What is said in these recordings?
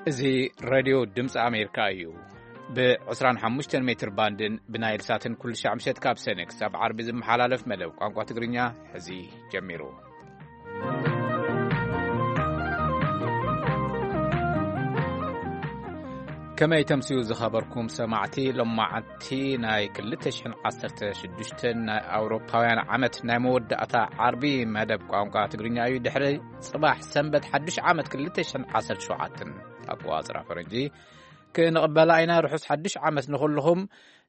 እዚ ሬድዮ ድምፂ ኣሜሪካ እዩ። ብ25 ሜትር ባንድን ብናይል ሳትን ኩሉ ሻዕ ምሸት ካብ ሰነ ክሳብ ዓርቢ ዝመሓላለፍ መደብ ቋንቋ ትግርኛ ሕዚ ጀሚሩ። ከመይ ተምስዩ ዝኸበርኩም ሰማዕቲ፣ ሎማዓንቲ ናይ ክልተ ሽሕን ዓሰርተ ሽዱሽተን ናይ ኣውሮፓውያን ዓመት ናይ መወዳእታ ዓርቢ መደብ ቋንቋ ትግርኛ እዩ። ድሕሪ ጽባሕ ሰንበት ሓድሽ ዓመት ክልተ ሽሕን ዓሰርተ ሸውዓተን ኣቆጻጽራ ፈረንጂ ክንቕበላ ኢና። ርሑስ ሓድሽ ዓመት ንኹልኹም።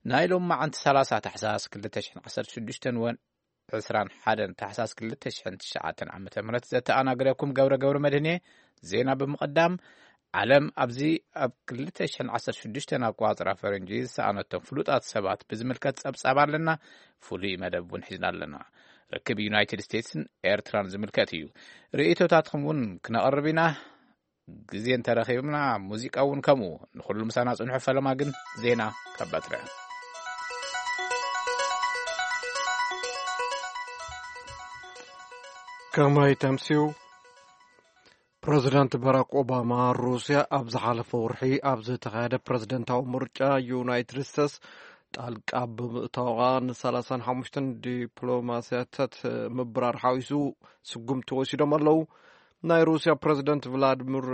ናይ ሎማዓንቲ ሰላሳ ታሕሳስ ክልተ ሽሕን ዓሰርተ ሽዱሽተን ወን ዕስራን ሓደን ታሕሳስ ክልተ ሽሕን ትሽዓተን ዓመተ ምህረት ዘተኣናግረኩም ገብረ ገብረ መድህን እየ። ዜና ብምቕዳም፣ ዓለም ኣብዚ ኣብ ክልተ ሽሕን ዓሰርተ ሽዱሽተን ኣቆጻጽራ ፈረንጂ ዝሰኣነቶም ፍሉጣት ሰባት ብዝምልከት ጸብጻብ ኣለና። ፍሉይ መደብ እውን ሒዝና ኣለና። ርክብ ዩናይትድ ስቴትስን ኤርትራን ዝምልከት እዩ። ርእይቶታትኩም እውን ክነቕርብ ኢና። ግዜ እንተረኺብና፣ ሙዚቃ እውን ከምኡ። ንኹሉ ምሳና ጽንሑ። ፈለማ ግን ዜና ካብ ባትሪ። ከመይ ተምስዩ? ፕረዚደንት ባራክ ኦባማ፣ ሩስያ ኣብ ዝሓለፈ ወርሒ ኣብ ዝተኻየደ ፕረዚደንታዊ ምርጫ ዩናይትድ ስቴትስ ጣልቃ ብምእታዋ፣ ን35 ዲፕሎማስያታት ምብራር ሓዊሱ ስጉምቲ ወሲዶም ኣለዉ። ናይ ሩስያ ፕረዚደንት ቭላድሚር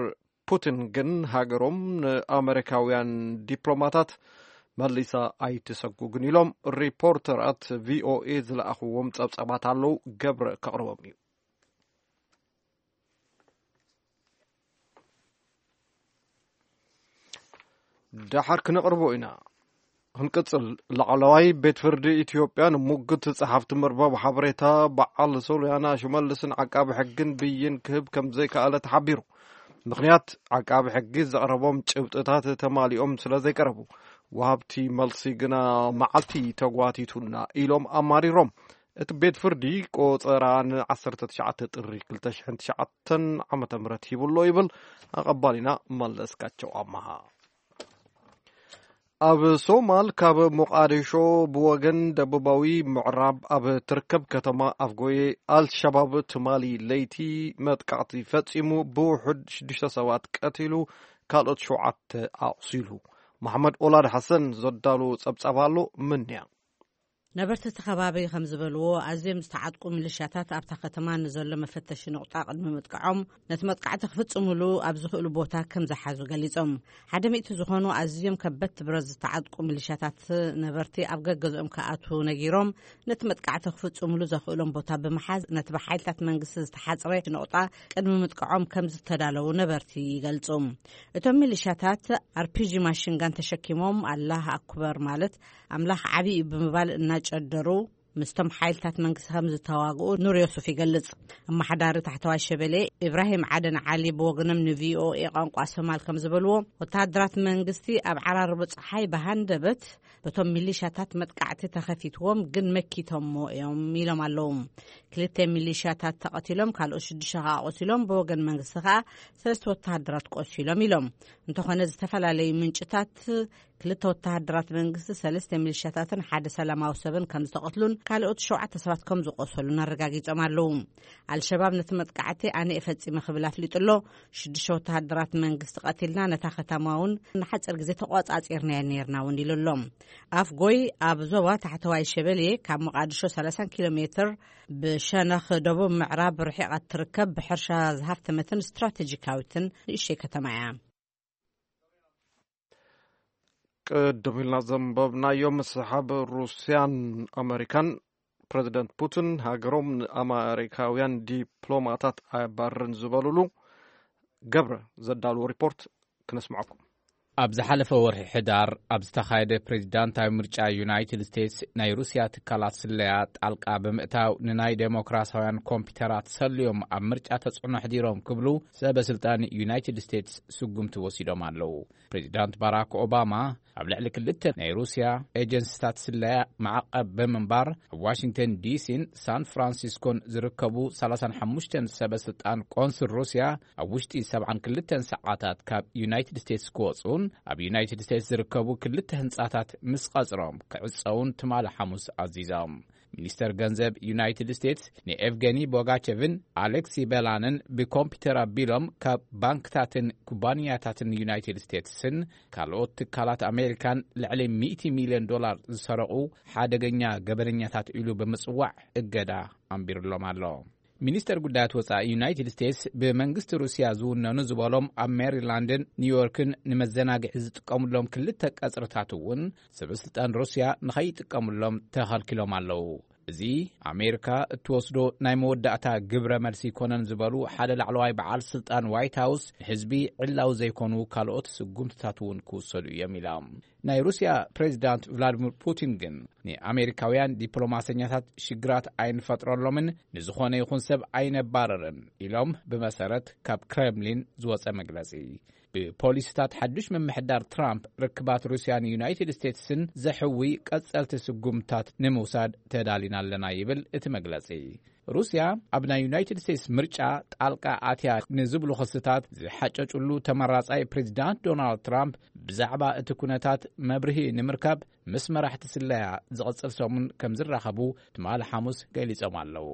ፑቲን ግን፣ ሃገሮም ንኣመሪካውያን ዲፕሎማታት መሊሳ ኣይትሰጉግን ኢሎም ሪፖርተራት ቪኦኤ ዝለኣኽዎም ጸብጻባት ኣለዉ። ገብረ ከቕርቦም እዩ። ደሓር ክነቕርቦ ኢና። ክንቅጽል፣ ላዕለዋይ ቤት ፍርዲ ኢትዮጵያ ንሙግት ጸሓፍቲ መርበብ ሓበሬታ በዓል ሶልያና ሽመልስን ዓቃቢ ሕግን ብይን ክህብ ከም ዘይከኣለ ተሓቢሩ። ምኽንያት፣ ዓቃቢ ሕጊ ዘቕረቦም ጭብጥታት ተማሊኦም ስለ ዘይቀረቡ፣ ወሃብቲ መልሲ ግና መዓልቲ ተጓቲቱና ኢሎም ኣማሪሮም። እቲ ቤት ፍርዲ ቆጸራ ን19 ጥሪ ክልተ ሽሕን ትሽዓተን ዓመተ ምህረት ሂቡ ኣሎ ይብል ኣቐባሊና መለስካቸው ኣማሃ። ኣብ ሶማል ካብ ሞቓዲሾ ብወገን ደቡባዊ ምዕራብ ኣብ ትርከብ ከተማ ኣፍጎዬ ኣልሸባብ ትማሊ ለይቲ መጥቃዕቲ ፈጺሙ ብውሑድ ሽዱሽተ ሰባት ቀቲሉ ካልኦት ሸውዓተ ኣቑሲሉ። መሓመድ ኦላድ ሓሰን ዘዳሉ ጸብጻብ ኣሎ። ምንያ ነበርቲ እቲ ከባቢ ከም ዝበልዎ፣ ኣዝዮም ዝተዓጥቁ ሚሊሻታት ኣብታ ከተማ ንዘሎ መፈተሺ ነቑጣ ቅድሚ ምጥቃዖም፣ ነቲ መጥቃዕቲ ክፍጽሙሉ ኣብ ዝኽእሉ ቦታ ከም ዝሓዙ ገሊጾም። ሓደ ሚእቲ ዝኾኑ ኣዝዮም ከበድቲ ብረት ዝተዓጥቁ ሚሊሻታት ነበርቲ ኣብ ገገዝኦም ክኣትዉ ነጊሮም፣ ነቲ መጥቃዕቲ ክፍጽሙሉ ዘኽእሎም ቦታ ብምሓዝ፣ ነቲ ብሓይልታት መንግስቲ ዝተሓጽረ ነቑጣ ቅድሚ ምጥቃዖም ከም ዝተዳለዉ ነበርቲ ይገልጹ። እቶም ሚሊሻታት ኣርፒጂ ማሽንጋን ተሸኪሞም፣ ኣላህ ኣኩበር፣ ማለት ኣምላኽ ዓቢ እዩ ብምባል እናጨደሩ ምስቶም ሓይልታት መንግስቲ ከም ዝተዋግኡ ኑር ዮሱፍ ይገልጽ። ኣመሓዳሪ ታሕተዋይ ሸበሌ ኢብራሂም ዓደን ዓሊ ብወገኖም ንቪኦኤ ቋንቋ ሶማል ከም ዝበልዎ፣ ወተሃደራት መንግስቲ ኣብ ዓራርቦ ጸሓይ ብሃንደበት በቶም ሚሊሻታት መጥቃዕቲ ተኸፊትዎም፣ ግን መኪቶሞ እዮም ኢሎም ኣለዉ። ክልተ ሚሊሻታት ተቐቲሎም፣ ካልኦት ሽዱሽተ ከኣ ቆሲሎም፣ ብወገን መንግስቲ ከኣ ሰለስተ ወተሃደራት ቆሲሎም ኢሎም። እንተኾነ፣ ዝተፈላለዩ ምንጭታት ክልተ ወተሃደራት መንግስቲ፣ ሰለስተ ሚሊሻታትን ሓደ ሰላማዊ ሰብን ከም ዝተቐትሉን ካልኦት ሸውዓተ ሰባት ከም ዝቆሰሉን ኣረጋጊጾም ኣለዉ። ኣልሸባብ ነቲ መጥቃዕቲ ኣነ እየ ፈጺመ ክብል ኣፍሊጡ ኣሎ። ሽዱሽተ ወተሃደራት መንግስቲ ቀቲልና፣ ነታ ከተማ እውን ንሓጺር ግዜ ተቆጻጺርናያ ነይርና እውን ኢሉ ኣሎ። ኣፍጎይ ኣብ ዞባ ታሕተዋይ ሸበሌ ካብ መቓድሾ ሰላሳ ኪሎ ሜትር ብሸነኽ ደቡብ ምዕራብ ርሒቓ እትርከብ፣ ብሕርሻ ዝሃፍተመትን ስትራቴጂካዊትን ንእሽተይ ከተማ እያ። ቅድም ኢልና ዘንበብናዮ ምስሓብ ሩስያን ኣመሪካን፣ ፕረዚደንት ፑቲን ሃገሮም ንኣመሪካውያን ዲፕሎማታት ኣየባርርን ዝበሉሉ፣ ገብረ ዘዳልዎ ሪፖርት ክነስምዓኩም። ኣብ ዝሓለፈ ወርሒ ሕዳር ኣብ ዝተኻየደ ፕሬዚዳንታዊ ምርጫ ዩናይትድ ስቴትስ፣ ናይ ሩስያ ትካላት ስለያ ጣልቃ ብምእታው፣ ንናይ ዴሞክራሲያውያን ኮምፒውተራት ሰልዮም ኣብ ምርጫ ተጽዕኖ ኣሕዲሮም ክብሉ ሰበ ስልጣን ዩናይትድ ስቴትስ ስጉምቲ ወሲዶም ኣለዉ። ፕሬዚዳንት ባራክ ኦባማ ኣብ ልዕሊ ክልተ ናይ ሩስያ ኤጀንሲታት ስለያ ማዕቐብ ብምንባር፣ ኣብ ዋሽንግተን ዲሲን ሳን ፍራንሲስኮን ዝርከቡ ሰላሳን ሓሙሽተን ሰበ ስልጣን ቆንስል ሩስያ ኣብ ውሽጢ ሰብዓን ክልተን ሰዓታት ካብ ዩናይትድ ስቴትስ ክወጹን፣ ኣብ ዩናይትድ ስቴትስ ዝርከቡ ክልተ ህንጻታት ምስ ቀጽሮም ክዕጸዉን ትማሊ ሓሙስ ኣዚዞም። ሚኒስተር ገንዘብ ዩናይትድ ስቴትስ ንኤቭገኒ ቦጋቸቭን ኣሌክሲ ቤላንን ብኮምፒውተር ኣቢሎም ካብ ባንክታትን ኩባንያታትን ዩናይትድ ስቴትስን ካልኦት ትካላት ኣሜሪካን ልዕሊ ሚእቲ ሚልዮን ዶላር ዝሰረቑ ሓደገኛ ገበነኛታት ኢሉ ብምጽዋዕ እገዳ ኣንቢርሎም ኣሎ። ሚኒስተር ጉዳያት ወጻኢ ዩናይትድ ስቴትስ ብመንግስቲ ሩስያ ዝውነኑ ዝበሎም ኣብ ሜሪላንድን ኒውዮርክን ንመዘናግዒ ዝጥቀሙሎም ክልተ ቀጽርታት እውን ሰበስልጣን ሩስያ ንኸይጥቀሙሎም ተኸልኪሎም ኣለዉ። እዚ ኣሜሪካ እትወስዶ ናይ መወዳእታ ግብረ መልሲ ኣይኮነን ዝበሉ ሓደ ላዕለዋይ በዓል ስልጣን ዋይት ሃውስ፣ ንህዝቢ ዕላዊ ዘይኮኑ ካልኦት ስጉምትታት እውን ክውሰዱ እዮም ኢሎም። ናይ ሩስያ ፕሬዚዳንት ቭላዲሚር ፑቲን ግን ንኣሜሪካውያን ዲፕሎማሰኛታት ሽግራት ኣይንፈጥረሎምን፣ ንዝኾነ ይኹን ሰብ ኣይነባረርን ኢሎም ብመሰረት ካብ ክሬምሊን ዝወጸ መግለጺ። ብፖሊሲታት ሓድሽ ምምሕዳር ትራምፕ ርክባት ሩስያን ዩናይትድ ስቴትስን ዘሕዊ ቀጸልቲ ስጉምታት ንምውሳድ ተዳሊና ኣለና ይብል እቲ መግለጺ። ሩስያ ኣብ ናይ ዩናይትድ ስቴትስ ምርጫ ጣልቃ ኣትያ ንዝብሉ ክስታት ዝሓጨጭሉ ተመራጻይ ፕሬዚዳንት ዶናልድ ትራምፕ ብዛዕባ እቲ ኩነታት መብርሂ ንምርካብ ምስ መራሕቲ ስለያ ዝቕጽል ሰሙን ከም ዝራኸቡ ትማሊ ሓሙስ ገሊጾም ኣለዉ።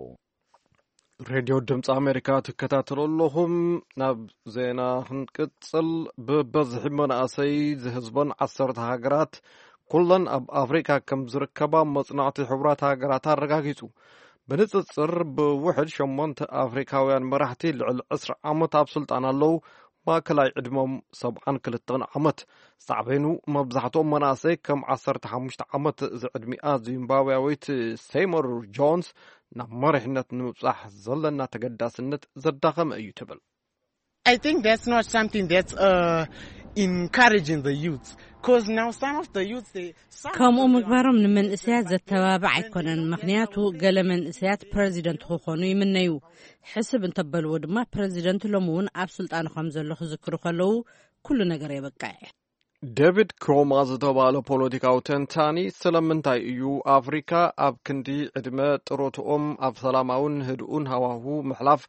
ሬድዮ ድምፂ ኣሜሪካ ትከታተሉ ኣለኹም። ናብ ዜና ክንቅፅል፣ ብበዝሒ መናእሰይ ዝህዝበን ዓሰርተ ሃገራት ኩለን ኣብ ኣፍሪካ ከም ዝርከባ መፅናዕቲ ሕቡራት ሃገራት ኣረጋጊፁ። ብንፅፅር ብውሕድ ሸሞንተ ኣፍሪካውያን መራሕቲ ልዕሊ ዕስራ ዓመት ኣብ ስልጣን ኣለዉ። ማእከላይ ዕድሞም ሰብዓን ክልተን ዓመት። ሳዕቤኑ መብዛሕትኦም መናእሰይ ከም ዓሰርተ ሓሙሽተ ዓመት ዝዕድሚኣ ዚምባብያዊት ሴይሞር ጆንስ ናብ መሪሕነት ንምብጻሕ ዘለና ተገዳስነት ዘዳኸመ እዩ ትብል። I think that's not something that's uh, encouraging the youth. Because now some of the youth, they, some of ከምኡ them ምግባሮም ንመንእሰያት ዘተባብዕ ኣይኮነን። ምኽንያቱ ገለ መንእሰያት ፕረዚደንት ክኾኑ ይምነዩ። ሕስብ እንተበልዎ ድማ ፕረዚደንት ሎሚ እውን ኣብ ስልጣኑ ከም ዘሎ ክዝክሩ ከለዉ ኩሉ ነገር የበቅዕ። ዴቪድ ክሮማ ዝተባለ ፖለቲካዊ ተንታኒ ስለምንታይ እዩ ኣፍሪካ ኣብ ክንዲ ዕድመ ጥሮትኦም ኣብ ሰላማውን ህድኡን ሃዋሁ ምሕላፍ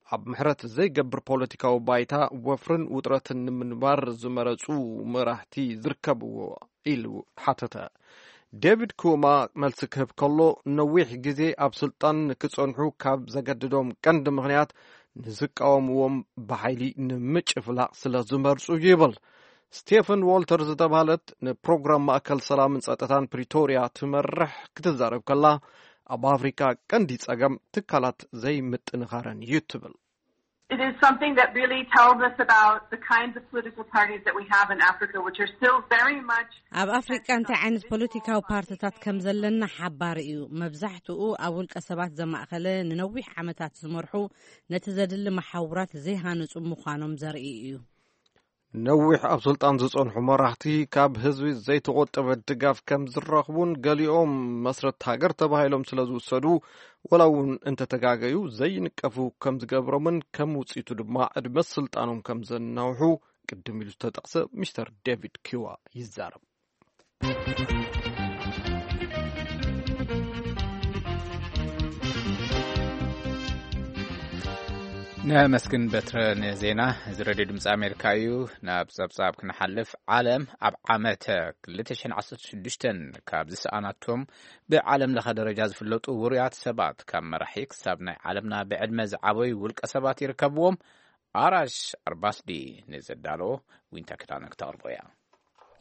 ኣብ ምሕረት ዘይገብር ፖለቲካዊ ባይታ ወፍርን ውጥረትን ንምንባር ዝመረፁ መራሕቲ ዝርከብዎ ኢሉ ሓተተ። ዴቪድ ኩማ መልሲ ክህብ ከሎ ነዊሕ ግዜ ኣብ ስልጣን ክጸንሑ ካብ ዘገድዶም ቀንዲ ምኽንያት ንዝቃወምዎም ብሓይሊ ንምጭፍላቕ ስለ ዝመርጹ እዩ ይብል። ስቴፈን ዎልተር ዝተባህለት ንፕሮግራም ማእከል ሰላምን ጸጥታን ፕሪቶርያ ትመርሕ ክትዛረብ ከላ ኣብ ኣፍሪካ ቀንዲ ጸገም ትካላት ዘይምጥንኻረን እዩ ትብል። It is something that really tells us about the kinds of political parties that we have in Africa, which are still very much ኣብ ኣፍሪቃ እንታይ ዓይነት ፖለቲካዊ ፓርትታት ከም ዘለና ሓባሪ እዩ። መብዛሕትኡ ኣብ ውልቀ ሰባት ዘማእኸለ፣ ንነዊሕ ዓመታት ዝመርሑ፣ ነቲ ዘድሊ መሓውራት ዘይሃነጹ ምዃኖም ዘርኢ እዩ። ነዊሕ ኣብ ስልጣን ዝጸንሑ መራሕቲ ካብ ህዝቢ ዘይተቖጠበ ድጋፍ ከም ዝረኽቡን ገሊኦም መስረት ሃገር ተባሂሎም ስለ ዝውሰዱ ወላ እውን እንተተጋገዩ ዘይንቀፉ ከም ዝገብሮምን ከም ውፅኢቱ ድማ ዕድመ ስልጣኖም ከም ዘናውሑ ቅድም ኢሉ ዝተጠቕሰ ሚስተር ዴቪድ ኪዋ ይዛረብ። ነመስግን በትረ ንዜና። እዚ ሬድዮ ድምፂ ኣሜሪካ እዩ። ናብ ጸብጻብ ክንሓልፍ፣ ዓለም ኣብ ዓመት ክልተ ሽሕን ዓሰርተ ሽዱሽተን ካብ ዝሰኣናቶም ብዓለም ለኸ ደረጃ ዝፍለጡ ውሩያት ሰባት፣ ካብ መራሒ ክሳብ ናይ ዓለምና ብዕድመ ዝዓበዩ ውልቀ ሰባት ይርከብዎም። ኣራሽ ኣርባስዲ ንዘዳለዎ ዊንታ ክዳነ ክተቕርቦ እያ።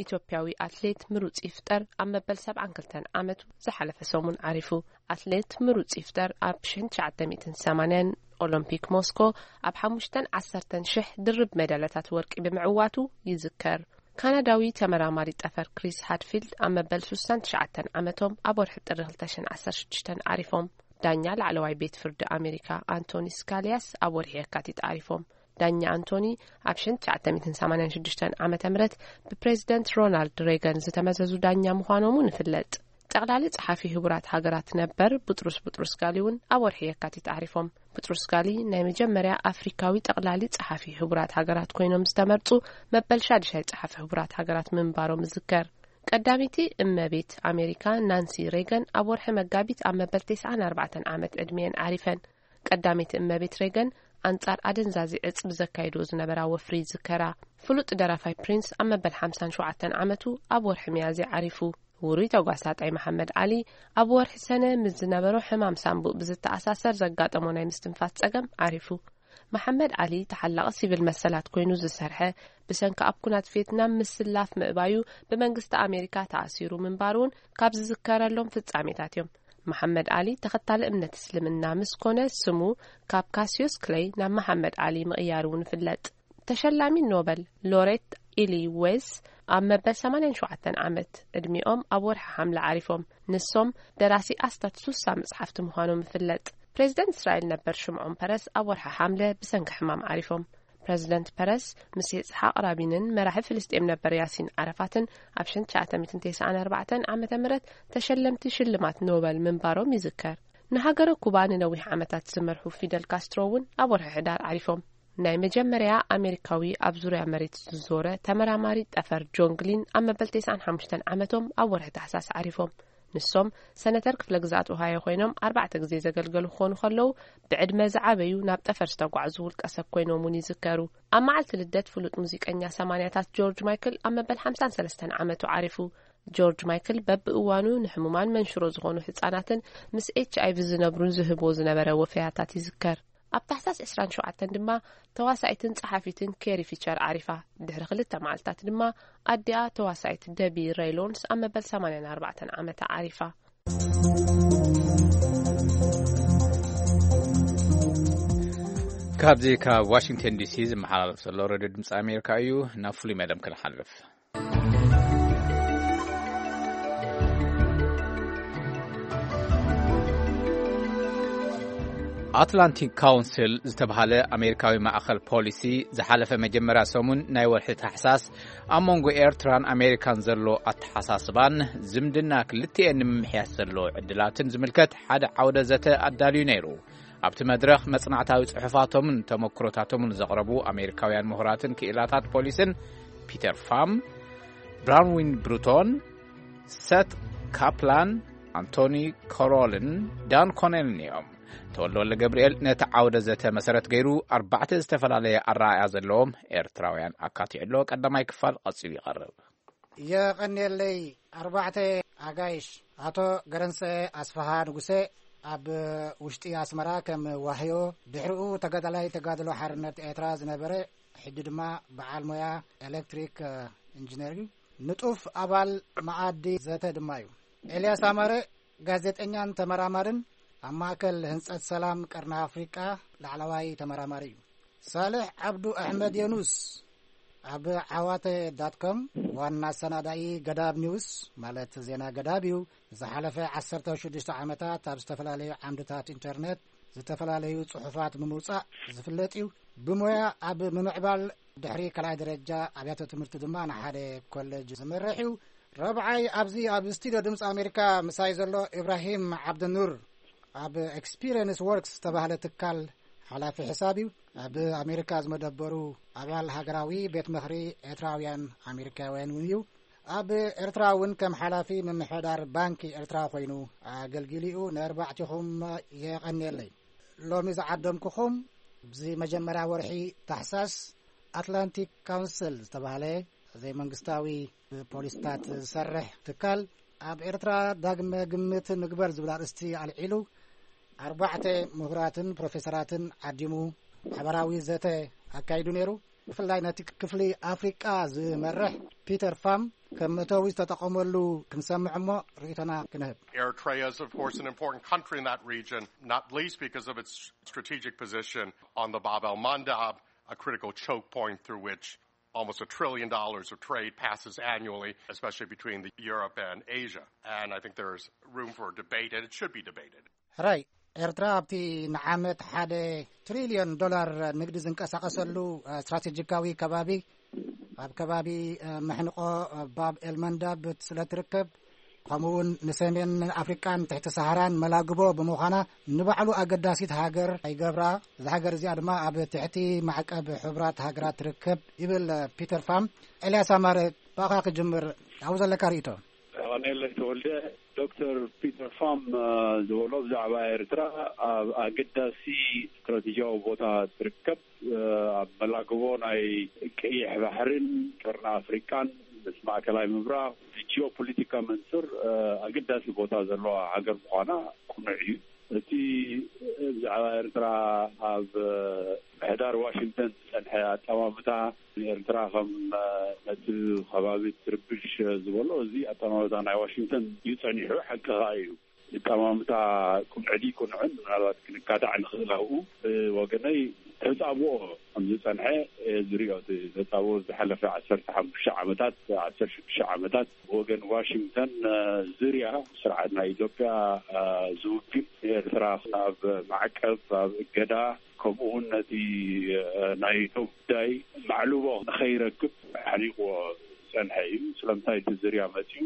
ኢትዮጵያዊ ኣትሌት ምሩጽ ይፍጠር ኣብ መበል ሰብዓን ክልተን ዓመቱ ዝሓለፈ ሰሙን ዓሪፉ። ኣትሌት ምሩጽ ይፍጠር ኣብ ሽሕን ትሽዓተ ሚእትን ሰማንያን ኦሎምፒክ ሞስኮ ኣብ ሓሙሽተን ዓሰርተን ሽሕ ድርብ ሜዳልያታት ወርቂ ብምዕዋቱ ይዝከር። ካናዳዊ ተመራማሪ ጠፈር ክሪስ ሃድፊልድ ኣብ መበል ሱሳን ትሽዓተን ዓመቶም ኣብ ወርሒ ጥሪ ክልተ ሽሕን ዓሰርተ ሽዱሽተን ዓሪፎም። ዳኛ ላዕለዋይ ቤት ፍርዲ ኣሜሪካ ኣንቶኒ ስካሊያስ ኣብ ወርሒ የካቲት ዓሪፎም። ዳኛ ኣንቶኒ ኣብ ሽሕን ትሽዓተ ሚእትን ሰማንያን ሽዱሽተን ዓመተ ምህረት ብፕሬዚደንት ሮናልድ ሬገን ዝተመዘዙ ዳኛ ምዃኖም እውን ይፍለጥ። ጠቕላሊ ጸሓፊ ህቡራት ሃገራት ነበር ቡጥሩስ ቡጥሩስ ጋሊ እውን ኣብ ወርሒ የካቲት ዓሪፎም። ቡጥሩስ ጋሊ ናይ መጀመርያ ኣፍሪካዊ ጠቕላሊ ጸሓፊ ህቡራት ሃገራት ኮይኖም ዝተመርጹ መበል ሻድሻይ ጸሓፊ ህቡራት ሃገራት ምንባሮም ይዝከር። ቀዳመይቲ እመቤት ኣሜሪካ ናንሲ ሬገን ኣብ ወርሒ መጋቢት ኣብ መበል ተስዓን ኣርባዕተን ዓመት ዕድሜአን ዓሪፈን። ቀዳመይቲ እመቤት ሬገን ኣንጻር ኣደንዛዚ ዕጽ ብዘካየድኦ ዝነበራ ወፍሪ ይዝከራ። ፍሉጥ ደራፋይ ፕሪንስ ኣብ መበል ሓምሳን ሸውዓተን ዓመቱ ኣብ ወርሒ ሚያዝያ ዓሪፉ። ውሩይ ተጓሳጣይ መሓመድ ዓሊ፣ ኣብ ወርሒ ሰነ ምስ ዝነበሮ ሕማም ሳንቡእ ብዝተኣሳሰር ዘጋጠሞ ናይ ምስትንፋስ ጸገም ዓሪፉ። መሓመድ ዓሊ፣ ተሓላቒ ሲቪል መሰላት ኮይኑ ዝሰርሐ፣ ብሰንኪ ኣብ ኩናት ቪየትናም ምስላፍ ምእባዩ ብመንግስቲ ኣሜሪካ ተኣሲሩ ምንባሩ እውን ካብ ዝዝከረሎም ፍጻሜታት እዮም። መሓመድ ዓሊ፣ ተኸታሊ እምነት እስልምና ምስ ኮነ፣ ስሙ ካብ ካሲዮስ ክለይ ናብ መሓመድ ዓሊ ምቕያሩ እውን ይፍለጥ። ተሸላሚ ኖበል ሎሬት ኢሊ ዌስ፣ ኣብ መበል ሰማንያን ሸውዓተን ዓመት ዕድሚኦም ኣብ ወርሒ ሓምለ ዓሪፎም። ንሶም ደራሲ ኣስታት ሱሳ መጽሓፍቲ ምዃኖም ይፍለጥ። ፕሬዚደንት እስራኤል ነበር ሽምዖን ፐረስ ኣብ ወርሒ ሓምለ ብሰንኪ ሕማም ዓሪፎም። ፕሬዚደንት ፐረስ ምስ ይስሓቅ ራቢንን መራሒ ፍልስጤም ነበር ያሲን ዓረፋትን ኣብ ሽሕን ትሽዓተ ሚእትን ተስዓን ኣርባዕተን ዓመተ ምህረት ተሸለምቲ ሽልማት ኖበል ምንባሮም ይዝከር። ንሃገረ ኩባ ንነዊሕ ዓመታት ዝመርሑ ፊደል ካስትሮ እውን ኣብ ወርሒ ሕዳር ዓሪፎም። ናይ መጀመርያ ኣሜሪካዊ ኣብ ዙርያ መሬት ዝዞረ ተመራማሪ ጠፈር ጆን ግሊን ኣብ መበል ተስዓን ሓሙሽተን ዓመቶም ኣብ ወርሒ ታሕሳስ ዓሪፎም። ንሶም ሰነተር ክፍለ ግዝኣት ኦሃዮ ኮይኖም ኣርባዕተ ግዜ ዘገልገሉ ክኾኑ ከለዉ፣ ብዕድመ ዝዓበዩ ናብ ጠፈር ዝተጓዕዙ ውልቀ ሰብ ኮይኖም እውን ይዝከሩ። ኣብ መዓልቲ ልደት ፍሉጥ ሙዚቀኛ ሰማንያታት ጆርጅ ማይክል ኣብ መበል ሓምሳን ሰለስተን ዓመቱ ዓሪፉ። ጆርጅ ማይክል በብእዋኑ ንሕሙማን መንሽሮ ዝኾኑ ህጻናትን ምስ ኤች ኣይ ቪ ዝነብሩን ዝህብዎ ዝነበረ ወፈያታት ይዝከር። ኣብ ታሕሳስ ዕስራን ሸውዓተን ድማ ተዋሳኢትን ጸሓፊትን ኬሪ ፊቸር ዓሪፋ። ድሕሪ ክልተ መዓልታት ድማ ኣዲኣ ተዋሳኢት ደቢ ሬይሎንስ ኣብ መበል ሰማንያን ኣርባዕተን ዓመታ ዓሪፋ። ካብዚ ካብ ዋሽንግተን ዲሲ ዝመሓላለፍ ዘሎ ሬድዮ ድምፂ ኣሜሪካ እዩ። ናብ ፍሉይ መደብ ክንሓልፍ። ኣትላንቲክ ካውንስል ዝተባህለ ኣሜሪካዊ ማእኸል ፖሊሲ ዝሓለፈ መጀመርያ ሰሙን ናይ ወርሒ ታሕሳስ ኣብ መንጎ ኤርትራን ኣሜሪካን ዘሎ ኣተሓሳስባን ዝምድና ክልቲኤን ንምምሕያሽ ዘሎ ዕድላትን ዝምልከት ሓደ ዓውደ ዘተ ኣዳልዩ ነይሩ። ኣብቲ መድረኽ መጽናዕታዊ ጽሑፋቶምን ተመክሮታቶምን ዘቕረቡ ኣሜሪካውያን ምሁራትን ክኢላታት ፖሊስን ፒተር ፋም፣ ብራንዊን ብሩቶን፣ ሰት ካፕላን፣ ኣንቶኒ ኮሮልን ዳን ኮኔልን እዮም። ተወልደ ወልደ ገብርኤል ነቲ ዓውደ ዘተ መሰረት ገይሩ ኣርባዕተ ዝተፈላለየ ኣረኣእያ ዘለዎም ኤርትራውያን ኣካቲዑ ኣሎ። ቀዳማይ ክፋል ቀጺሉ ይቐርብ። የቐንየለይ። ኣርባዕተ ኣጋይሽ፣ ኣቶ ገረንሰ ኣስፍሃ ንጉሰ፣ ኣብ ውሽጢ ኣስመራ ከም ዋህዮ፣ ድሕሪኡ ተጋዳላይ ተጋድሎ ሓርነት ኤርትራ ዝነበረ፣ ሕጂ ድማ በዓል ሞያ ኤሌክትሪክ ኢንጂነር እዩ። ንጡፍ ኣባል መኣዲ ዘተ ድማ እዩ። ኤልያስ ኣማረ፣ ጋዜጠኛን ተመራማርን፣ ኣብ ማእከል ህንጸት ሰላም ቀርኒ ኣፍሪቃ ላዕለዋይ ተመራማሪ እዩ። ሳልሕ ዓብዱ ኣሕመድ የኑስ፣ ኣብ ዓዋተ ዳት ኮም ዋና ኣሰናዳኢ ገዳብ ኒውስ፣ ማለት ዜና ገዳብ እዩ። ዝሓለፈ ዓሰርተ ሽዱሽተ ዓመታት ኣብ ዝተፈላለዩ ዓምድታት ኢንተርነት ዝተፈላለዩ ጽሑፋት ብምውጻእ ዝፍለጥ እዩ። ብሞያ ኣብ ምምዕባል ድሕሪ ካልኣይ ደረጃ ኣብያተ ትምህርቲ ድማ ንሓደ ኮሌጅ ዝመርሕ እዩ። ረብዓይ፣ ኣብዚ ኣብ ስቱድዮ ድምፂ ኣሜሪካ ምሳይ ዘሎ ኢብራሂም ዓብደኑር፣ ኣብ ኤክስፒሪየንስ ወርክስ ዝተባህለ ትካል ሓላፊ ሕሳብ እዩ። ኣብ ኣሜሪካ ዝመደበሩ ኣባል ሃገራዊ ቤት ምኽሪ ኤርትራውያን ኣሜሪካውያን እውን እዩ። ኣብ ኤርትራ እውን ከም ሓላፊ ምምሕዳር ባንኪ ኤርትራ ኮይኑ ኣገልጊሉ እዩ። ንኣርባዕቲኹም የቐንየለይ። ሎሚ ዝዓደምኩኹም፣ ኣብዚ መጀመርያ ወርሒ ታሕሳስ ኣትላንቲክ ካውንስል ዝተባህለ ዘይመንግስታዊ ብፖሊስታት ዝሰርሕ ትካል፣ ኣብ ኤርትራ ዳግመ ግምት ንግበር ዝብል ኣርእስቲ ኣልዒሉ፣ ኣርባዕተ ምሁራትን ፕሮፌሰራትን ዓዲሙ ሓበራዊ ዘተ ኣካይዱ ነይሩ። ብፍላይ ነቲ ክፍሊ ኣፍሪቃ ዝመርሕ ፒተር ፋም ከም መእተዊ ዝተጠቐመሉ ክንሰምዕ እሞ ርእይቶና ክንህብ። Eritrea is, of course, an important country in that region, not least because of its strategic position on the Bab el Mandab, a critical choke point through which almost a trillion dollars of trade passes annually, especially between the Europe and Asia. And I think there's room for debate, and it should be debated. ሕራይ፣ ኤርትራ ኣብቲ ንዓመት ሓደ ትሪልዮን ዶላር ንግዲ ዝንቀሳቐሰሉ ስትራቴጂካዊ ከባቢ፣ ኣብ ከባቢ መሕንቆ ባብ ኤልመንዳብ ስለ ትርከብ፣ ከምኡ እውን ንሰሜን ኣፍሪቃን ትሕቲ ሰሃራን መላግቦ ብምዃና፣ ንባዕሉ ኣገዳሲት ሃገር ይገብራ። እዛ ሃገር እዚኣ ድማ ኣብ ትሕቲ ማዕቀብ ሕቡራት ሃገራት ትርከብ ይብል ፒተር ፋም። ኤልያስ ኣማረ፣ ብኣኻ ክጅምር፣ ኣብኡ ዘለካ ርእይቶ። ቀኔለ ተወልደ፣ ዶክተር ፒተር ፋም ዝበሎ ብዛዕባ ኤርትራ ኣብ ኣገዳሲ ስትራቴጂያዊ ቦታ ትርከብ፣ ኣብ መላግቦ ናይ ቀይሕ ባሕርን ቀርኒ ኣፍሪቃን ምስ ማእከላይ ምብራቕ፣ ሕጂ ጂኦፖለቲካ መንፅር ኣገዳሲ ቦታ ዘለዋ ሃገር ምዃና ቅኑዕ እዩ። እቲ ብዛዕባ ኤርትራ ኣብ ምሕዳር ዋሽንግተን ዝፀንሐ ኣጠማምታ ንኤርትራ ከም ነቲ ከባቢ ትርብሽ ዝበሎ፣ እዚ ኣጠማምታ ናይ ዋሽንግተን እዩ ፀኒሑ፣ ሓቂ ከኣ እዩ። ኣጠማምታ ቅኑዕ ድዩ ቅኑዕን ምናልባት ክንካታዕ ንኽእል ኣብኡ። ብወገነይ ተፃብኦ ከም ዝፀንሐ እየ ዝሪኦ። እቲ ተፃብኦ ዝሓለፈ ዓሰርተ ሓሙሽተ ዓመታት፣ ዓሰርተ ሽዱሽተ ዓመታት ብወገን ዋሽንግተን ዝርያ ስርዓት ናይ ኢትዮጵያ ዝውክል ንኤርትራ ኣብ ማዕቀብ፣ ኣብ እገዳ፣ ከምኡ እውን ነቲ ናይቶ ጉዳይ ማዕልቦ ንኸይረክብ ሓኒቕዎ ዝፀንሐ እዩ። ስለምንታይ እቲ ዝርያ መፅዩ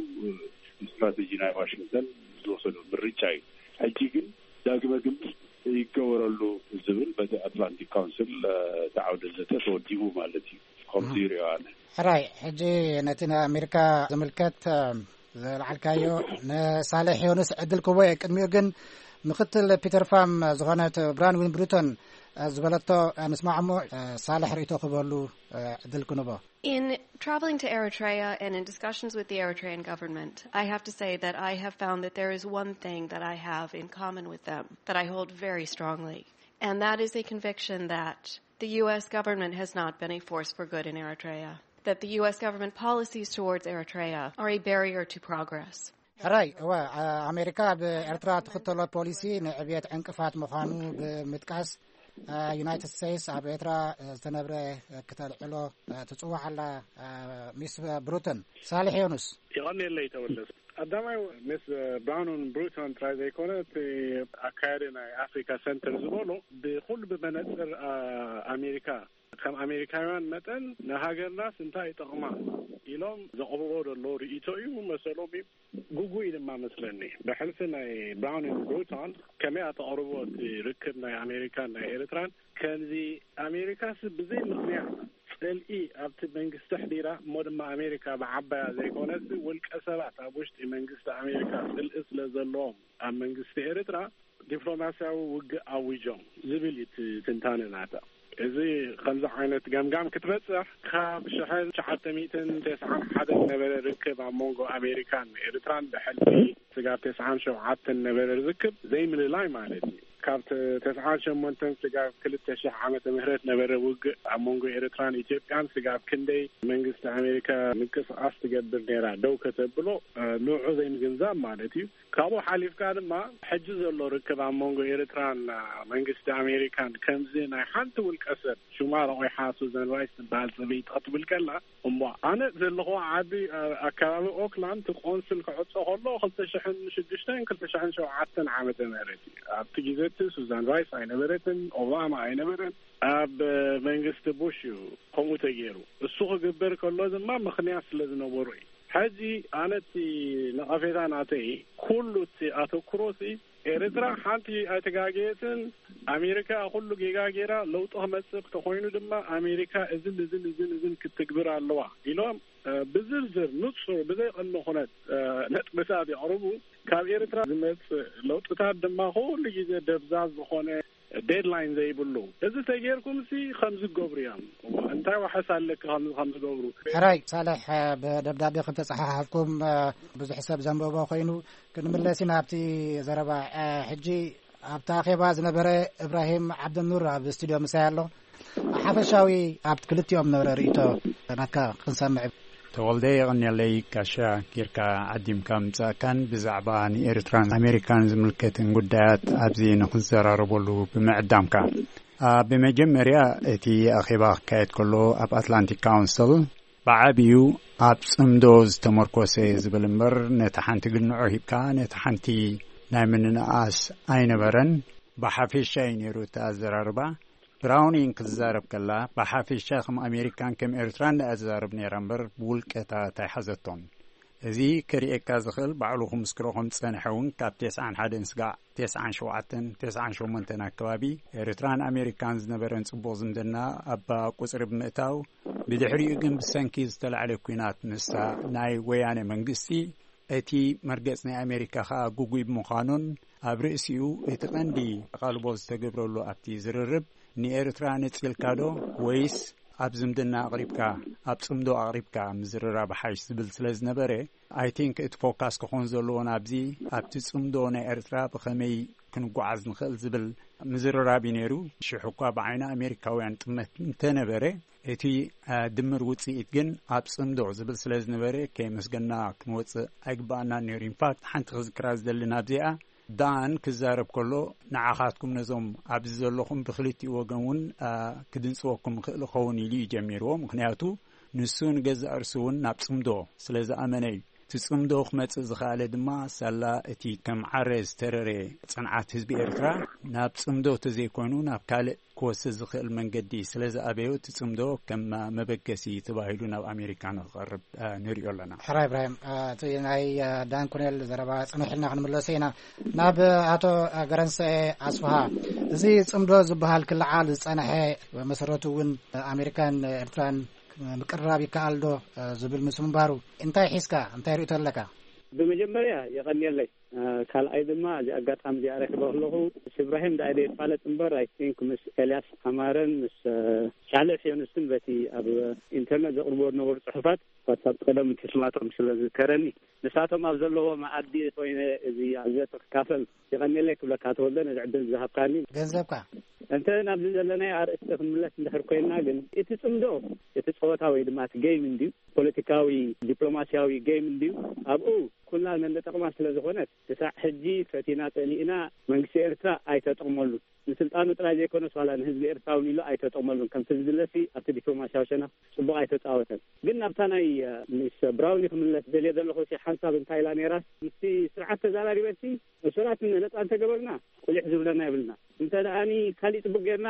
ስትራተጂ ናይ ዋሽንግተን ዝወሰዶ ምርጫ እዩ። ሕጂ ግን ዳግመ ግምት ይገበረሉ ዝብል በቲ ኣትላንቲክ ካውንስል እቲ ዓውደ ዘተ ተወዲቡ ማለት እዩ። ከምዚ ይሪኦ ኣነ። ሕራይ፣ ሕጂ ነቲ ንኣሜሪካ ዝምልከት ዘልዓልካዮ ንሳሌሕ ዮኑስ ዕድል ክቦ እየ። ቅድሚኡ ግን ምክትል ፒተር ፋም ዝኾነት ብራንዊን ብሩቶን ዝበለቶ ንስማዕ እሞ፣ ሳሌሕ ርእቶ ክበሉ ዕድል ክንቦ። In traveling to Eritrea and in discussions with the Eritrean government, I have to say that I have found that there is one thing that I have in common with them that I hold very strongly, and that is a conviction that the U S government has not been a force for good in Eritrea, that the U S government policies towards Eritrea are a barrier to progress. ሕራይ፣ እወ፣ ኣሜሪካ ኣብ ኤርትራ ትኽተሎ ፖሊሲ ንዕብየት ዕንቅፋት ምዃኑ ብምጥቃስ፣ ዩናይትድ ስቴትስ ኣብ ኤርትራ ዝተነብረ ክተልዕሎ ትጽዋዕ ኣላ። ሚስ ብሩተን፣ ሳልሕ ዮኑስ። የቐንየለይ ተወለስ። ቀዳማይ፣ ሚስ ብራውንን ብሩቶን ጥራይ ዘይኮነ፣ እቲ ኣካያዲ ናይ ኣፍሪካ ሰንተር ዝበሎ ብኩሉ ብመነፅር ኣሜሪካ፣ ከም ኣሜሪካውያን መጠን ንሃገርናስ እንታይ ይጠቕማ ኢሎም ዘቕርቦ ዘሎ ርእይቶ እዩ መሰሎም እዩ። ግጉይ ድማ መስለኒ። ብሕልፊ ናይ ብራውንን ብሩቶን ከመይ ኣተቕርቦ እቲ ርክብ ናይ ኣሜሪካን ናይ ኤርትራን፣ ከምዚ ኣሜሪካስ ብዘይ ምኽንያት ጽልኢ ኣብቲ መንግስቲ ኣሕዲራ፣ እሞ ድማ ኣሜሪካ ብዓባያ ዘይኮነስ ውልቀ ሰባት ኣብ ውሽጢ መንግስቲ ኣሜሪካ ጽልኢ ስለ ዘለዎም ኣብ መንግስቲ ኤርትራ ዲፕሎማስያዊ ውግእ ኣዊጆም ዝብል እዩ እቲ ትንታነ ናታ። እዚ ከምዚ ዓይነት ገምጋም ክትበጽሕ፣ ካብ ሽሕን ትሽዓተ ሚእትን ተስዓን ሓደን ነበረ ርክብ ኣብ መንጎ ኣሜሪካን ኤርትራን ብሕልፊ ስጋብ ተስዓን ሸውዓተን ነበረ ርክብ ዘይምልላይ ማለት እዩ። ካብ ተ-፣ ተስዓን ሸሞንተን ስጋብ ክልተ ሽሕ ዓመተ ምህረት ነበረ ውግእ ኣብ መንጎ ኤርትራን ኢትዮጵያን፣ ስጋብ ክንደይ መንግስቲ ኣሜሪካ ምንቅስቃስ ትገብር ነይራ ደው ከተብሎ፣ እ፣ ንዑ ዘይምግንዛብ ማለት እዩ። ካብኡ ሓሊፍካ ድማ ሕጂ ዘሎ ርክብ ኣብ መንጎ ኤርትራን መንግስቲ ኣሜሪካን፣ ከምዚ ናይ ሓንቲ ውልቀ ሰብ ሽማ ረቑሓ ሱዘን ራይስ ትበሃል ጽብይቲ ክትብል ከላ፣ እሞ ኣነ ዘለኹ ዓዲ፣ ኣ-፣ ኣከባቢ ኦክላንድ፣ እቲ ቆንስል ክዕጾ ከሎ ክልተ ሽሕን ሽዱሽተን ክልተ ሽሕን ሸውዓተን ዓመተ ምህረት እዩ። ኣብቲ ግዜ እቲ ሱዛን ራይስ ኣይነበረትን፣ ኦባማ ኣይነበረን። ኣብ መንግስቲ ቡሽ እዩ ከምኡ ተገይሩ። እሱ ክግበር ከሎ ድማ ምኽንያት ስለ ዝነበሩ እዩ። ሕጂ ኣነ እቲ ነቐፌታ ናተይ፣ ኩሉ እቲ ኣተኩሮ ሲ ኤርትራ ሓንቲ ኣይተጋገየትን። ኣሜሪካ ኩሉ ጌጋ ጌራ፣ ለውጢ ክመጽእ ተኾይኑ ድማ ኣሜሪካ እዝን እዝን እዝን እዝን ክትግብር ኣለዋ ኢሎም፣ እ፣ ብዝርዝር ንጹር ብዘይ ቅድመ ኩነት፣ እ፣ ነጥብታት የቕርቡ። ካብ ኤርትራ ዝመጽእ ለውጥታት ድማ ኩሉ ግዜ ደብዛዝ ዝኾነ ዴድላይን ዘይብሉ። እዚ ተጌርኩም ሲ ከምዚ ገብሩ እዮም። እንታይ ዋሕስ ኣለኪ ከምዚ ከም ዝገብሩ? ሕራይ ሳልሕ፣ ብደብዳቤ ከም ተጸሓሓፍኩም፣ እ፣ ብዙሕ ሰብ ዘንበቦ ኮይኑ፣ ክንምለስ ኢና ኣብቲ ዘረባ። እ፣ ሕጂ ኣብቲ ኣኼባ ዝነበረ እብራሂም ዓብደኑር ኣብ ስቱድዮ ምሳይ ኣሎ። ሓፈሻዊ ኣብ ክልቲኦም ዝነበረ ርእይቶ ናትካ ክንሰምዕ። ተወልደ፣ የቐንየለይ፣ ጋሻ ጌርካ ዓዲምካ ምጻእካን ብዛዕባ ንኤርትራን ኣሜሪካን ዝምልከትን ጉዳያት ኣብዚ ንኽንዘራረበሉ ብምዕዳምካ። ኣ፣ ብመጀመርያ፣ እቲ ኣኼባ ክካየድ ከሎ ኣብ ኣትላንቲክ ካውንስል ብዓቢኡ ኣብ ጽምዶ ዝተመርኮሰ ዝብል እምበር፣ ነታ ሓንቲ ግንዖ ሂብካ ነታ ሓንቲ ናይ ምንንኣስ ኣይነበረን። ብሓፈሻ እዩ ነይሩ እቲ ኣዘራርባ። ብራውኒንግ ክትዛረብ ከላ፣ ብሓፈሻ ከም ኣሜሪካን ከም ኤርትራን እያ ትዛረብ ነይራ እምበር፣ ብውልቀታት ኣይሓዘቶን። እዚ ከርእየካ ዝኽእል፣ ባዕሉ ክምስክሮ ከም ዝጸንሐ እውን፣ ካብ ተስዓን ሓደን ስጋዕ ተስዓን ሸውዓተን፣ ተስዓን ሸሞንተን ኣከባቢ፣ ኤርትራን ኣሜሪካን ዝነበረን ጽቡቕ ዝምድና፣ ኣብ ቁጽሪ ብምእታው፣ ብድሕሪኡ ግን ብሰንኪ ዝተላዕለ ኲናት ምስታ ናይ ወያነ መንግስቲ፣ እቲ መርገጽ ናይ ኣሜሪካ ኸኣ ግጉይ ብምዃኑን፣ ኣብ ርእሲኡ እቲ ቀንዲ ኣቓልቦ ዝተገብረሉ ኣብቲ ዝርርብ፣ ንኤርትራ ነጺልካ ዶ ወይስ ኣብ ዝምድና ኣቕሪብካ፣ ኣብ ጽምዶ ኣቕሪብካ ምዝርራብ ሓይሽ ዝብል ስለ ዝነበረ፣ I think እቲ ፎካስ ክኾን ዘለዎ ናብዚ፣ ኣብቲ ጽምዶ ናይ ኤርትራ ብኸመይ ክንጓዓዝ ንኽእል ዝብል ምዝርራብ እዩ ነይሩ። ሽሕ እኳ ብዓይኒ ኣሜሪካውያን ጥመት እንተነበረ፣ እቲ፣ አ፣ ድምር ውጽኢት ግን ኣብ ጽምዶ ዝብል ስለ ዝነበረ፣ ከየመስገና ክንወጽእ ኣይግባኣናን ነይሩ። ኢንፋክት፣ ሓንቲ ክዝክራ ዝደሊ ናብዚኣ፣ ዳን ክዛረብ ከሎ፣ ንዓኻትኩም ነዞም ኣብዚ ዘለኹም ብክልቲኡ ወገን እውን፣ አ፣ ክድንጽወኩም ይኽእል ይኸውን ኢሉ እዩ ጀሚርዎ። ምኽንያቱ፣ ንሱ ንገዛእ ርእሱ እውን ናብ ጽምዶ ስለ ዝኣመነ እዩ። እቲ ጽምዶ ክመጽእ ዝኸኣለ ድማ፣ ሳላ እቲ ከም ዓረ ዝተረረ ጽንዓት ህዝቢ ኤርትራ፣ ናብ ጽምዶ ተዘይኮይኑ ናብ ካልእ ክወስድ ዝኽእል መንገዲ ስለ ዝኣበዮ፣ እቲ ጽምዶ ከም መበገሲ ተባሂሉ ናብ ኣሜሪካ ንክቐርብ፣ አ፣ ንሪኦ ኣለና። ሕራይ እብራሂም፣ አ፣ እቲ ናይ፣ አ፣ ዳን ኮኔል ዘረባ ጽንሕ ኢልና ክንምለሶ ኢና። ናብ ኣቶ ገረንሰኤ ኣስፍሃ፣ እዚ ጽምዶ ዝበሃል ክለዓል ዝጸንሐ፣ መሰረቱ እውን ኣሜሪካን ኤርትራን ምቅርራብ ይከኣል ዶ፣ አ፣ ዝብል ምስ ምንባሩ፣ እንታይ ሒዝካ፣ እንታይ ርእይቶ ኣለካ? ብመጀመርያ የቐንየለይ። አ፣ ካልኣይ ድማ፣ እዚ ኣጋጣሚ እዚኣ ረኺበ ከለኹ፣ ምስ እብራሂም ዳኣ ኢለ ይፋለጥ እምበር፣ I think ምስ ኤልያስ ኣማረን ምስ፣ አ፣ ሻለሕ ዮኑስን በቲ ኣብ ኢንተርነት ዘቕርብዎ ዝነበሩ ጽሑፋት፣ ዋትሳፕ ቀደም ትስማቶም ስለ ዝዝከረኒ፣ ንሳቶም ኣብ ዘለዎ መኣዲ ኮይነ እዚ ኣብ ዘተ ክካፈል የቐንየለይ ክብለካ፣ ተወልደ፣ ነዚ ዕድል ዝሃብካኒ። ገንዘብካ። እንተ ናብዚ ዘለናዮ ኣርእስቲ ክንምለስ እንድሕር ኮይንና ግን፣ እቲ ጽምዶ፣ እቲ ጸወታ ወይ ድማ እቲ ጌም እንድዩ፣ ፖለቲካዊ፣ ዲፕሎማስያዊ ጌም እንድዩ። ኣብኡ ኩላ ነንጠቕማ ስለ ዝኾነት፣ ክሳዕ ሕጂ ፈቲና ጸሊእና መንግስቲ ኤርትራ ኣይተጠቕመሉ። ንስልጣኑ ጥራይ ዘይኮነስ፣ ዋላ ንህዝቢ ኤርትራ እውን ኢሉ ኣይተጠቕመሉን። ከምቲ ዝድለሲ ኣብቲ ዲፕሎማስያዊ ሸነኽ ጽቡቕ ኣይተጻወተን። ግን ናብታ ናይ፣ እ፣ ሚስ ብራውኒ ክምለስ ደልየ ዘለኹ፣ ሲ ሓንሳብ እንታይ ኢላ ነይራ? ምስቲ ስርዓት ተዛራሪበሲ፣ እሱራት ነጻ እንተገበርና፣ ቁሊሕ ዝብለና የብልና። እንተ ደኣኒ ካሊእ ጽቡቕ ጌርና፣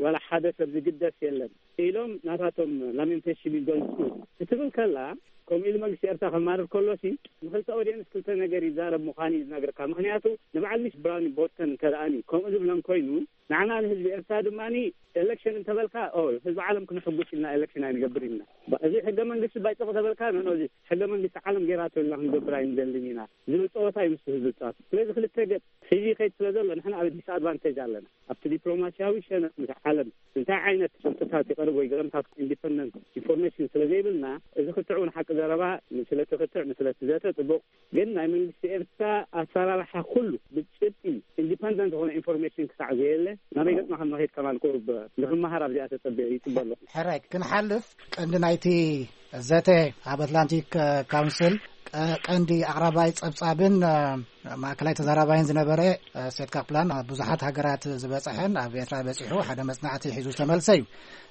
ዋላ ሓደ ሰብ ዝግደስ የለን ኢሎም ናታቶም ላሜንቴሽን ይገልጹ ክትብል ከላ፣ ከምኡ ኢሉ መንግስቲ ኤርትራ ከማርር ከሎሲ፣ ንክልተ ኦዲየንስ ክልተ ነገር ይዛረብ ምዃኑ እዩ ዝነግረካ። ምኽንያቱ፣ ንበዓል ሚስ ብራውኒ ቦስተን እንተ ደኣኒ ከምኡ ዝብለን ኮይኑ፣ ንዓና ንህዝቢ ኤርትራ ድማኒ፣ ኤሌክሽን እንተበልካ፣ ኦ፣ ህዝቢ ዓለም ክንሕጉስ ኢልና ኤሌክሽን ኣይንገብር ኢልና። ባ-፣ እዚ ሕገ መንግስቲ ባይጽቕ ተበልካ፣ ኖ፣ ኖ፣ እዚ ሕገ መንግስቲ ዓለም ጌራቶ ኢልና ክንገብር ኣይንደልን ኢና ዝብል ጸወታ እዩ ምስቲ ህዝቢ ዝጻወት። ስለዚ ክልተ ገጽ ሒዙ ይኸይድ ስለ ዘሎ፣ ንሕና ኣብ ዲስኣድቫንቴጅ ኣለና። ኣብቲ ዲፕሎማስያዊ ሸነኽ ምስ ዓለም እንታይ ዓይነት ጭብጥታት ይቐርብ ወይ ገለምታት ኢንዲፐንደንት ኢንፎርሜሽን ስለ ዘይብልና፣ እዚ ክትዕ እውን ሓቂ ዘረባ፣ ንስለ እቲ ክትዕ፣ ንስለ እቲ ዘተ ጽቡቕ፣ ግን ናይ መንግስቲ ኤርትራ ኣሰራርሓ ኩሉ ብጭብጢ ኢንዲፐንደንት ዝኾነ ኢንፎርሜሽን ክሳዕ ዘየለ፣ ናበይ ገጽና ከም ንኸይድ ከማን ቁሩብ ንኽመሃር ኣብዚኣ ተጸቢዐ ይጽበ ኣለኹ። ሕራይ፣ ክንሓልፍ ቀንዲ ናይቲ ዘተ ኣብ ኣትላንቲክ፣ እ፣ ካውንስል ቀ-፣ ቀንዲ ኣቕራባይ ጸብጻብን፣ እ፣ ማእከላይ ተዛራባይን ዝነበረ፣ እ፣ ሴት ካፕላን ኣብ ብዙሓት ሃገራት ዝበጽሐን ኣብ ኤርትራ በጺሑ ሓደ መጽናዕቲ ሒዙ ዝተመልሰ እዩ።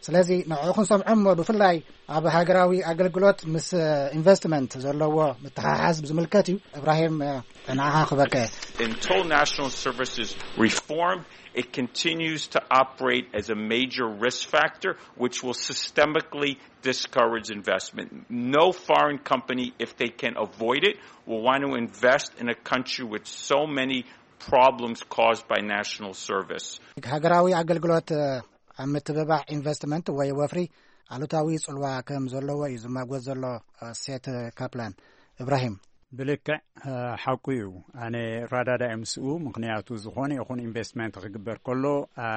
ስለዚ ንዕኡ ክንሰምዖ እሞ ብፍላይ ኣብ ሃገራዊ ኣገልግሎት ምስ፣ እ፣ ኢንቨስትመንት ዘለዎ ምትሓሓዝ ብዝምልከት እዩ። እብራሂም፣ እ፣ ንዓኻ ክበከ። Until national services reform, it continues to operate as a major risk factor, which will systemically discourage investment. No foreign company, if they can avoid it, will want to invest in a country with so many problems caused by national service. ሃገራዊ ኣገልግሎት፣ እ፣ ኣብ ምትብባዕ ኢንቨስትመንት ወይ ወፍሪ ኣሉታዊ ጽልዋ ከም ዘለዎ እዩ ዝማጎት ዘሎ፣ እ፣ ሴት ካፕላን። እብራሂም። ብልክዕ፣ እ፣ ሓቁ እዩ። ኣነ ራዳዳ እየ ምስኡ። ምኽንያቱ፣ ዝኾነ ይኹን ኢንቨስትመንት ክግበር ከሎ፣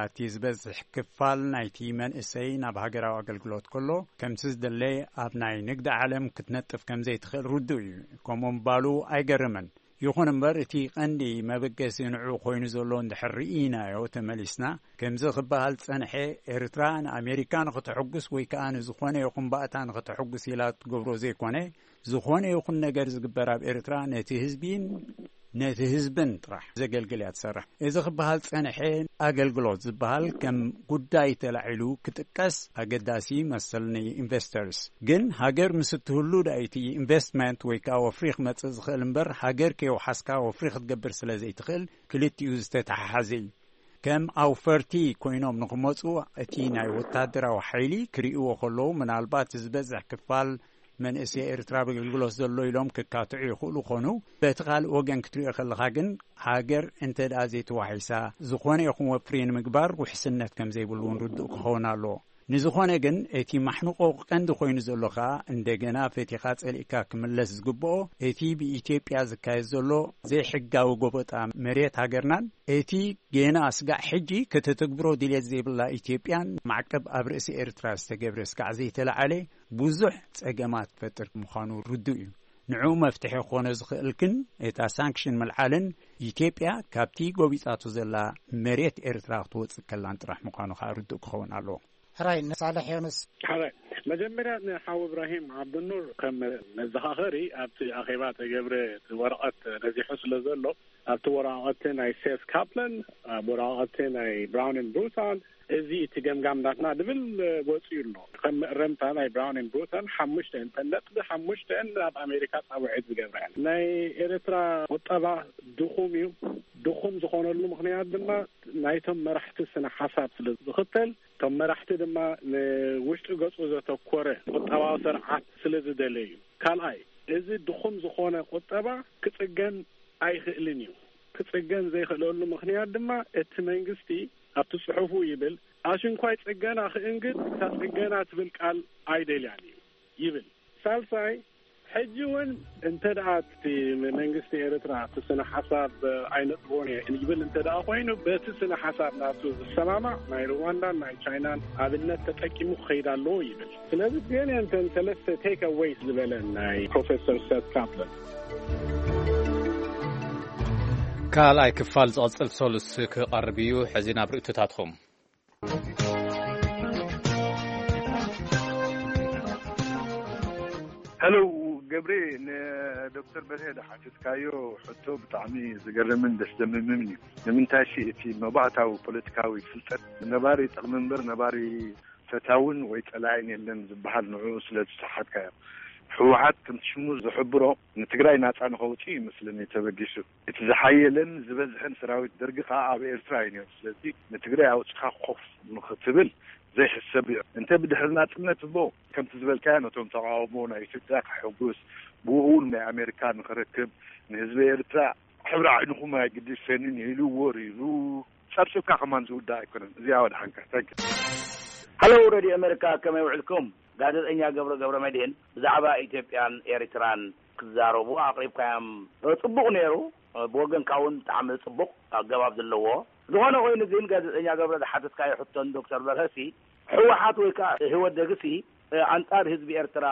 እቲ ዝበዝሕ ክፋል ናይቲ መንእሰይ ናብ ሃገራዊ ኣገልግሎት ከሎ፣ ከምቲ ዝደለ ኣብ ናይ ንግዲ ዓለም ክትነጥፍ ከም ዘይትኽእል ርዱእ እዩ። ከምኡ ምባሉ ኣይገርምን። ይኹን እምበር፣ እቲ ቀንዲ መበገሲ ንዕኡ ኮይኑ ዘሎ እንድሕር ርኢናዮ ተመሊስና፣ ከምዚ ክበሃል ዝጸንሐ፣ ኤርትራ ንኣሜሪካ ንኽተሐጉስ ወይ ከኣ ንዝኾነ ይኹን ባእታ ንኽተሐጉስ ኢላ ትገብሮ ዘይኮነ፣ ዝኾነ ይኹን ነገር ዝግበር ኣብ ኤርትራ ነቲ ህዝቢን ነቲ ህዝብን ጥራሕ ዘገልግል እያ ትሰርሕ። እዚ ክበሃል ዝጸንሐ፣ ኣገልግሎት ዝበሃል ከም ጉዳይ ተላዒሉ ክጥቀስ ኣገዳሲ ይመስል ንኢንቨስተርስ። ግን ሃገር ምስ እትህሉ ዳይቲ ኢንቨስትመንት ወይ ከኣ ወፍሪ ክመጽእ ዝኽእል እምበር፣ ሃገር ከየውሓስካ ወፍሪ ክትገብር ስለ ዘይትኽእል፣ ክልቲኡ ዝተተሓሓዘ እዩ። ከም ኣውፈርቲ ኮይኖም ንኽመጹ፣ እቲ ናይ ወታደራዊ ሓይሊ ክርእይዎ ከለዉ፣ ምናልባት ዝበዝሕ ክፋል መንእሰይ ኤርትራ ኣብ ኣገልግሎት ዘሎ ኢሎም ክካትዑ ይኽእሉ ኾኑ። በቲ ካልእ ወገን ክትሪኦ ከለኻ ግን፣ ሃገር እንተ ደኣ ዘይተዋሒሳ፣ ዝኾነ ይኹን ወፍሪ ንምግባር ውሕስነት ከም ዘይብሉ እውን ርዱእ ክኸውን ኣለዎ። ንዝኾነ ግን፣ እቲ ማሕንቆ ቀንዲ ኮይኑ ዘሎ ከኣ፣ እንደገና ፈቲኻ ጸሊእካ ክምለስ ዝግብኦ፣ እቲ ብኢትዮጵያ ዝካየድ ዘሎ ዘይሕጋዊ ጎበጣ መሬት ሃገርናን፣ እቲ ገና ስጋዕ ሕጂ ከተተግብሮ ድሌት ዘይብላ ኢትዮጵያን፣ ማዕቀብ ኣብ ርእሲ ኤርትራ ዝተገብረ ስጋዕ ዘይተለዓለ ብዙሕ ጸገማት ፈጥር ምዃኑ ርዱእ እዩ። ንዕኡ መፍትሒ ክኾነ ዝኽእል ግን፣ እታ ሳንክሽን ምልዓልን ኢትዮጵያ ካብቲ ጎቢጻቶ ዘላ መሬት ኤርትራ ክትወጽእ ከላን ጥራሕ ምዃኑ ከኣ ርዱእ ክኸውን ኣለዎ። ሕራይ ንሳልሕ ዮንስ። ሕራይ፣ መጀመርያ ንሓው እብራሂም ዓብዱኑር ከም መዘኻኸሪ ኣብቲ ኣኼባ ተገብረ እቲ ወረቐት ነዚሑ ስለ ዘሎ፣ ኣብቲ ወረቐት ናይ ሴስ ካፕለን፣ ኣብ ወረቐት ናይ ብራውንን ብሩታን፣ እዚ እቲ ገምጋም ናትና ድብል ወፂኡ ኣሎ። ከም መእረምታ ናይ ብራውንን ብሩታን ሓሙሽተ እንተን ነጥቢ ሓሙሽተ ናብ ኣሜሪካ ፃውዒት ዝገብራ እየን። ናይ ኤርትራ ቁጠባ ድኹም እዩ። ድኹም ዝኾነሉ ምኽንያት ድማ ናይቶም መራሕቲ ስነ ሓሳብ ስለ ዝኽተል፣ እቶም መራሕቲ ድማ ንውሽጢ ገጹ ዘተኮረ ቁጠባዊ ስርዓት ስለ ዝደለዩ። ካልኣይ፣ እዚ ድኹም ዝኾነ ቁጠባ ክጽገን ኣይኽእልን እዩ። ክጽገን ዘይኽእለሉ ምኽንያት ድማ እቲ መንግስቲ ኣብቲ ጽሑፉ ይብል፣ ኣሽንኳይ ጽገና ክእንግድ እታ ጽገና ትብል ቃል ኣይደልያን እዩ ይብል። ሳልሳይ፣ ሕጂ እውን እንተ ደኣ እቲ መንግስቲ ኤርትራ እቲ ስነ ሓሳብ ኣይነጥቦን እየ ይብል እንተ ደኣ ኮይኑ፣ በቲ ስነ ሓሳብ ናቱ ዝሰማማዕ ናይ ሩዋንዳን ናይ ቻይናን ኣብነት ተጠቂሙ ክኸይድ ኣለዎ ይብል። ስለዚ ገለ እንተን ሰለስተ ቴክ ኣዌይስ ዝበለን ናይ ፕሮፌሰር ሰት ካፕለን። ካልኣይ ክፋል ዝቐጽል ሰሉስ ክቐርብ እዩ። ሕዚ ናብ ርእይቶታትኹም። ሄሎ ገብሬ፣ ንዶክተር በርሄ ዝሓተትካዮ ሕቶ ብጣዕሚ ዝገርምን ደስ ዘምምን እዩ። ንምንታይ ሲ እቲ መባእታዊ ፖለቲካዊ ፍልጠት ነባሪ ጠቕሚ እምበር ነባሪ ፈታውን ወይ ጸላኢን የለን ዝበሃል ንዕኡ ስለ ዝሰሓትካዮ። ህወሓት ከምቲ ሽሙ ዝሕብሮ ንትግራይ ናጻ ንኸውጽእ ይመስለኒ ተበጊሱ። እቲ ዝሓየለን ዝበዝሐን ሰራዊት ደርጊ ከኣ ኣብ ኤርትራ እዩ ነይሩ። ስለዚ ንትግራይ ኣውጺኻ ኮፍ ንኽትብል ዘይሕሰብ እዩ። እንተ ብድሕሪ ናጽነት እሞ ከምቲ ዝበልካዮ ነቶም ተቓውሞ ናይ ኢትዮጵያ ከሐጉስ፣ ብኡ እውን ናይ ኣሜሪካ ንኽረክብ፣ ንህዝቢ ኤርትራ ሕብሪ ዓይንኹም ኣይግድሰንን ኢሉ ወሪሩ ጸብጺብካ ከማን ዝውዳእ ኣይኮነን። እዚኣ ወድሓንካ። ታንኪ። ሃሎ ሬድዮ ኣሜሪካ፣ ከመይ ውዕልኩም? ጋዜጠኛ ገብረ ገብረ መድህን ብዛዕባ ኢትዮጵያን ኤርትራን ክዛረቡ ኣቕሪብካዮም። ጽቡቕ ነይሩ። ብወገንካ እውን ብጣዕሚ ጽቡቕ ኣገባብ ዘለዎ። ዝኾነ ኮይኑ ግን ጋዜጠኛ ገብረ ዝሓተትካዮ ሕቶን ዶክተር በርሀሲ፣ ህወሓት ወይ ከዓ ህወደግሲ ኣንጻር ህዝቢ ኤርትራ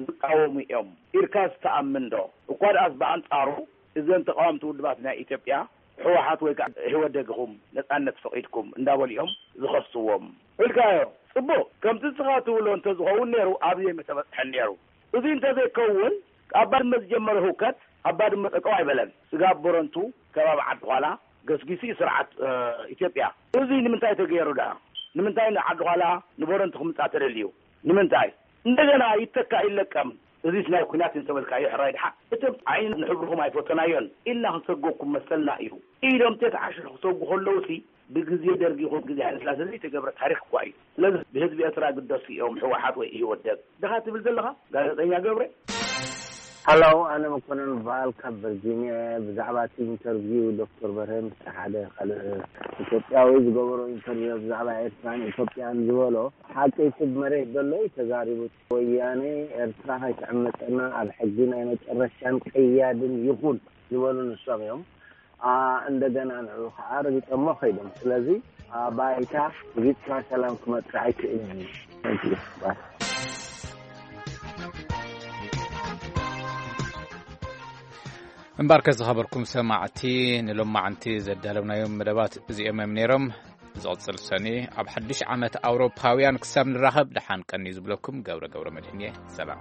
ዝቃወሙ እዮም ኢልካ ዝተኣምን ዶ? እኳ ደኣስ ብኣንጻሩ እዘን ተቃወምቲ ውድባት ናይ ኢትዮጵያ ህወሓት ወይ ከዓ ህወደግ ኢኹም ነጻነት ፈቒድኩም እንዳበሉ እዮም ዝኸስዎም። ኢልካዮ ጽቡቕ፣ ከምቲ ንስኻ ትብሎ እንተዝኸውን ነይሩ ኣብዚ ኣይምተበጽሐን ነይሩ። እዚ እንተዘይከውን ኣብ ባድመ ዝጀመረ ህውከት ኣብ ባድመ ጠጠው ኣይበለን። ስጋብ ቦረንቱ ከባቢ ዓዲ ዃላ ገስጊሱ እዩ ስርዓት ኢትዮጵያ። እዚ ንምንታይ ተገይሩ ደኣ? ንምንታይ ንዓዲ ዃላ ንቦረንቱ ክምጻእ ተደልዩ? ንምንታይ? እንደገና ይተካ ይለቀም። እዚስ ናይ ኲናት እንተበልካዮ ሕራይ ድሓ እቶም ዓይኒ ንሕብርኹም ኣይፈተናዮን ኢልና ክንሰጎኩም መሰልና እዩ ኢሎም ተተዓሽሑ ክሰጉ ከለውሲ ብግዜ ደርጊ ይኹን ግዜ ሃይለስላሴ ዘይተገብረ ታሪኽ እኳ እዩ። ስለዚ ብህዝቢ ኤርትራ ግደሱ እዮም ህወሓት ወይ ኢህወደግ ድኻ ትብል ዘለኻ ጋዜጠኛ ገብረ? ሃላው ኣነ መኮነን በዓል ካብ ቨርጂኒያ። ብዛዕባ እቲ ኢንተርቪው ዶክተር በርሀ ምስ ሓደ ካልእ ኢትዮጵያዊ ዝገበሮ ኢንተርቪው ብዛዕባ ኤርትራን ኢትዮጵያን ዝበሎ ሓቂ እቲ ብመሬት ዘሎ እዩ ተዛሪቡ። ወያነ ኤርትራ ከይትዕመፀና ኣብ ሕጊ ናይ መጨረሻን ቀያድን ይኹን ዝበሉ ንሶም እዮም። እንደገና ንዑ ከዓ ረጊጠሞ ከይዶም። ስለዚ ባይታ ሪግፅና ሰላም ክመፅእ ኣይክእልን እዩ። እምባርከ ዝኸበርኩም ሰማዕቲ ንሎማዓንቲ ዘዳለብናዮም መደባት እዚኦም እዮም ነይሮም። ዝቕፅል ሰኒ ኣብ ሓድሽ ዓመት ኣውሮፓውያን ክሳብ ንራኸብ ደሓን ቀኒ ዝብለኩም ገብረ ገብረ መድህን እየ። ሰላም።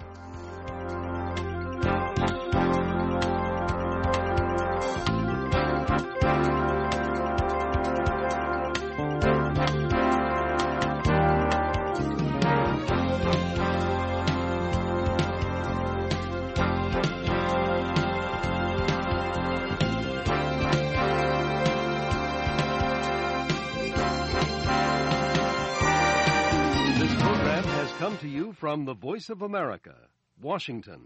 This program has come to you from the Voice of America, Washington.